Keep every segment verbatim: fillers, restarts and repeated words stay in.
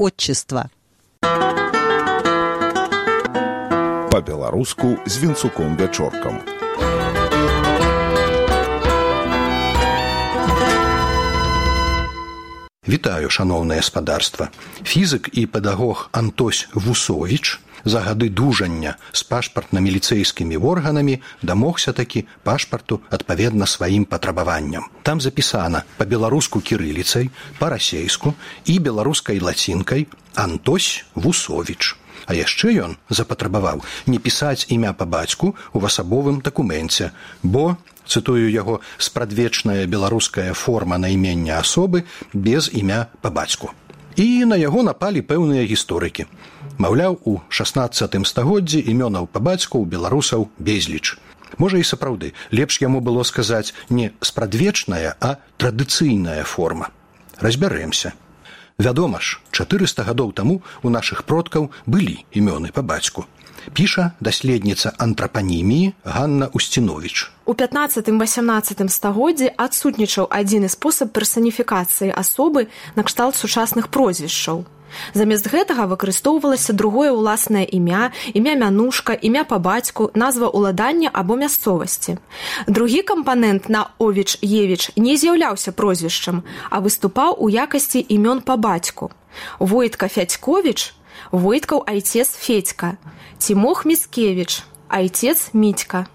отчества. По-беларуску з Вінцуком Вячоркам. Вітаю, шаноўнае спадарства. Фізык і педагог Антось Вусовіч за гады дужання з пашпартна-міліцэйскімі органамі дамогся такі пашпарту адпаведна сваім патрабаванням. Там запісана па-беларуску кірыліцай, па-расейску і беларускай лацінкай Антось Вусовіч. А яшчэ ён запатрабаваў не пісаць імя па бацьку ў асабовым дакуменце, бо, цытую яго, спрадвечная беларуская форма наймення асобы без імя па бацьку. І на яго напалі пэўныя гісторыкі. Маўляў, у шаснаццатым стагоддзі імёнаў па бацьку ў беларусаў безліч. Можа і сапраўды, лепш яму было сказаць не спрадвечная, а традыцыйная форма. Разбярэмся. Вядома ж, чатырыста гадоў таму у нашых продкаў былі імёны па бацьку. Піша даследніца антрапаніміі Ганна Устіновіч. У пятнаццатым-васямнаццатым стагоддзі адсутнічаў адзіны спосаб персаніфікацыі асобы накшталт сучасных прозвішчаў. Замест гэтага выкарыстоўвалася другое ўласнае імя, імя мянушка, імя па бацьку, назва ўладання або мясцовасці. Другі кампанент на Овіч-Евіч не з'яўляўся прозвішчам, а выступаў у якасці імён па бацьку. Войтка Фядьковіч, Войткаў айцец Федька, Тимох Міскевіч, айцец Мітька.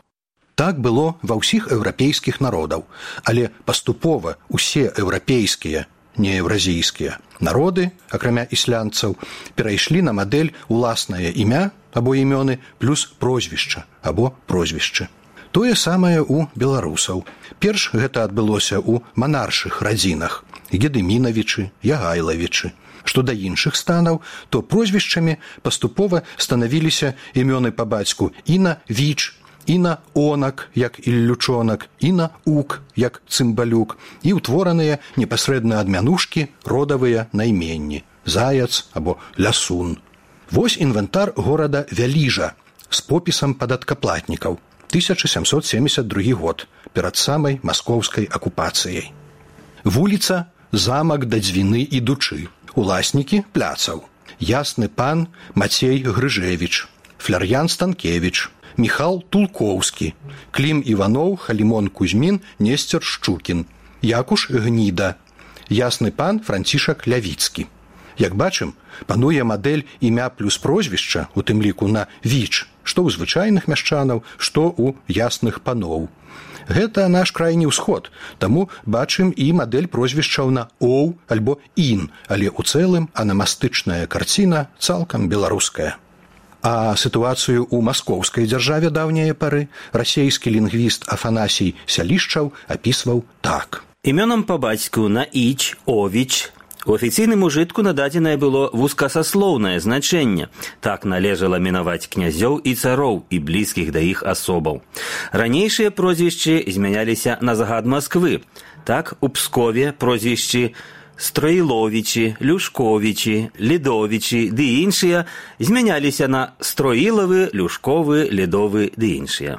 Так было ва ўсіх еўрапейскіх народаў, але паступова ўсе еўрапейскія, не еўразійскія народы, акрамя ісландцаў, перайшлі на мадэль уласнае імя або імёны плюс прозвішча або прозвішчы. Тое самае ў беларусаў. Перш гэта адбылося ў манаршых радзінах – Гедымінавічы, Ягайлавічы. Што да іншых станаў, то прозвішчамі паступова станавіліся імёны па бацьку і на Віч, і на Онак, як Іллючонак, і на Ук, як Цымбалюк, і ўтвораныя непасрэдна ад мянушкі родавыя найменні – Заяц або Лясун. Вось інвентар горада Вяліжа з попісам падаткаплатнікаў, тысяча сямсот семьдесят другі год, перад самай маскоўскай акупацыяй. Вуліца Замак да Дзвіны ідучы, уласнікі пляцаў, Ясны пан Мацей Грыжевіч, Фляр'ян Станкевіч, Міхал Тулкоўскі, Клім Іваноў, Халімон Кузьмін, Несцер Шчукін, Якуш Гніда, Ясны пан Францішак Лявіцкі. Як бачым, пануе мадэль імя плюс прозвішча, у тым ліку на Віч, што ў звычайных мяшчанаў, што ў ясных паноў. Гэта наш крайні ўсход, таму бачым і мадэль прозвішчаў на Оў альбо Ін, але ў цэлым анамастычная карціна цалкам беларуская. А сітуацыю ў маскоўскай дзяржаве даўняе пары расейскі лінгвіст Афанасій Сялішчаў апісваў так. Імёнам па бацьку на Іч, Овіч. У афіцыйным ужытку нададзенае было вузкасаслоўнае значэнне. Так належала мінаваць князёў і цароў і блізкіх да іх асобаў. Ранейшыя прозвішчы змяняліся на загад Масквы. Так у Пскове прозвішчы Строіловічі, Люшковічі, Лідовічі ды іншыя змяняліся на Строілавы, Люшковы, Лідовы ды іншыя.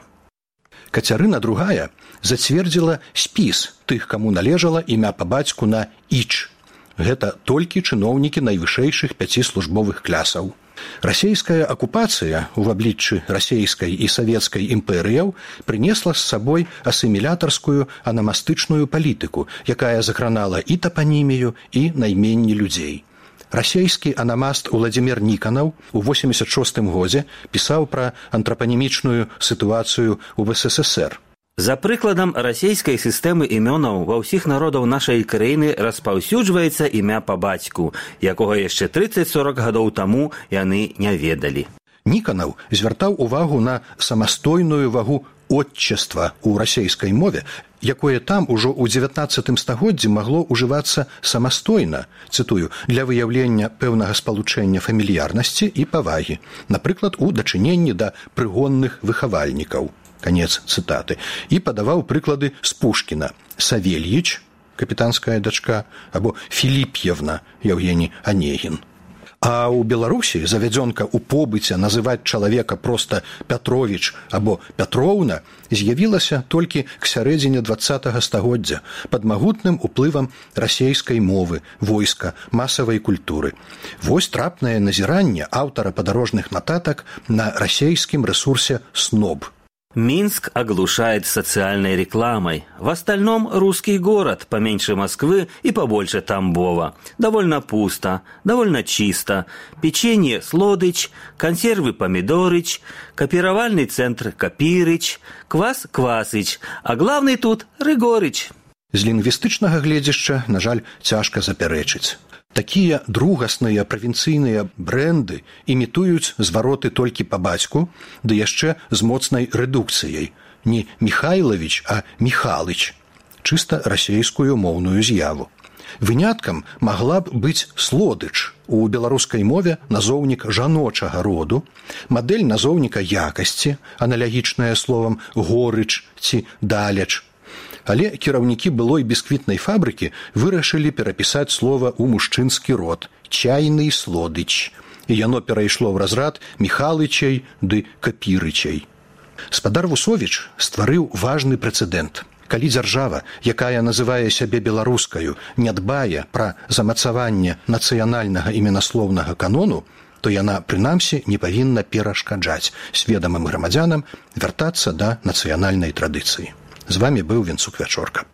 Кацярына другая зацвердзіла спіс тых, каму належала імя па бацьку на Іч. Гэта толькі чыноўнікі найвышэйшых пяці службовых клясаў. Расейская акупацыя ў абліччы расейскай і савецкай імперыяў прынесла з сабой асімілятарскую анамастычную палітыку, якая закранала і тапанімію, і найменні людзей. Расейскі анамаст Уладзімір Ніканаў у восемьдесят шостым годзе пісаў пра антрапанімічную сітуацыю ў ВССР. За прыкладам расейскай сістэмы імёнаў ва ўсіх народаў нашай краіны распаўсюджваецца імя па бацьку, якога яшчэ трыццаць-сорак гадоў таму яны не ведалі. Ніканаў звяртаў увагу на самастойную вагу отчества ў расейскай мове, якое там ужо ў дзевятнаццатым стагоддзі магло ўжывацца самастойна, цытую, для выяўлення пэўнага спалучэння фамільярнасці і павагі, напрыклад, у дачыненні да прыгонных выхавальнікаў. Канец цытаты. І падаваў прыклады з Пушкіна. Савельіч, капітанская дачка, або Філіп'евна, Яўгені Анегін. А ў Беларусі завядзёнка ў побыце называць чалавека проста Пятровіч або Пятроўна з'явілася толькі к сярэдзіне дваццатага стагоддзя пад магутным уплывам расейскай мовы, войска, масавай культуры. Вось трапнае назіранне аўтара падарожных нататак на расейскім ресурсе СНОБ. Минск оглушает социальной рекламой. В остальном русский город, поменьше Москвы и побольше Тамбова. Довольно пусто, довольно чисто. Печенье Слодыч, консервы Помидорыч, копировальный центр Копирыч, квас Квасыч, а главный тут Рыгорыч. З лінгвістычнага гледзяшча, на жаль, цяжка запярэчыць. Такія другасныя правінцыйныя брэнды імітуюць звароты толькі па бацьку, ды яшчэ з моцнай рэдукцыяй. Не Михайлович, а Михалыч. Чыста расейскую моўную з'яву. Выняткам магла б быць Слодыч. У беларускай мове назоўнік жаночага роду, мадэль назоўніка якасці, аналагічная словам горыч ці даляч. Але кіраўнікі былой бісквітнай фабрыкі вырашылі перапісаць слова ў мужчынскі род «чайны Слодыч», і яно перайшло ў разрад Михалычай ды Капірычай. Спадар Вусовіч стварыў важны прэцэдэнт. Калі дзяржава, якая называе сябе беларускаю, не дбае пра замацаванне нацыянальнага іменаслоўнага канону, то яна, прынамсі, не павінна перашкаджаць сведамым грамадзянам вяртацца да нацыянальнай традыцыі. З вами быў Вінцук Вячорка.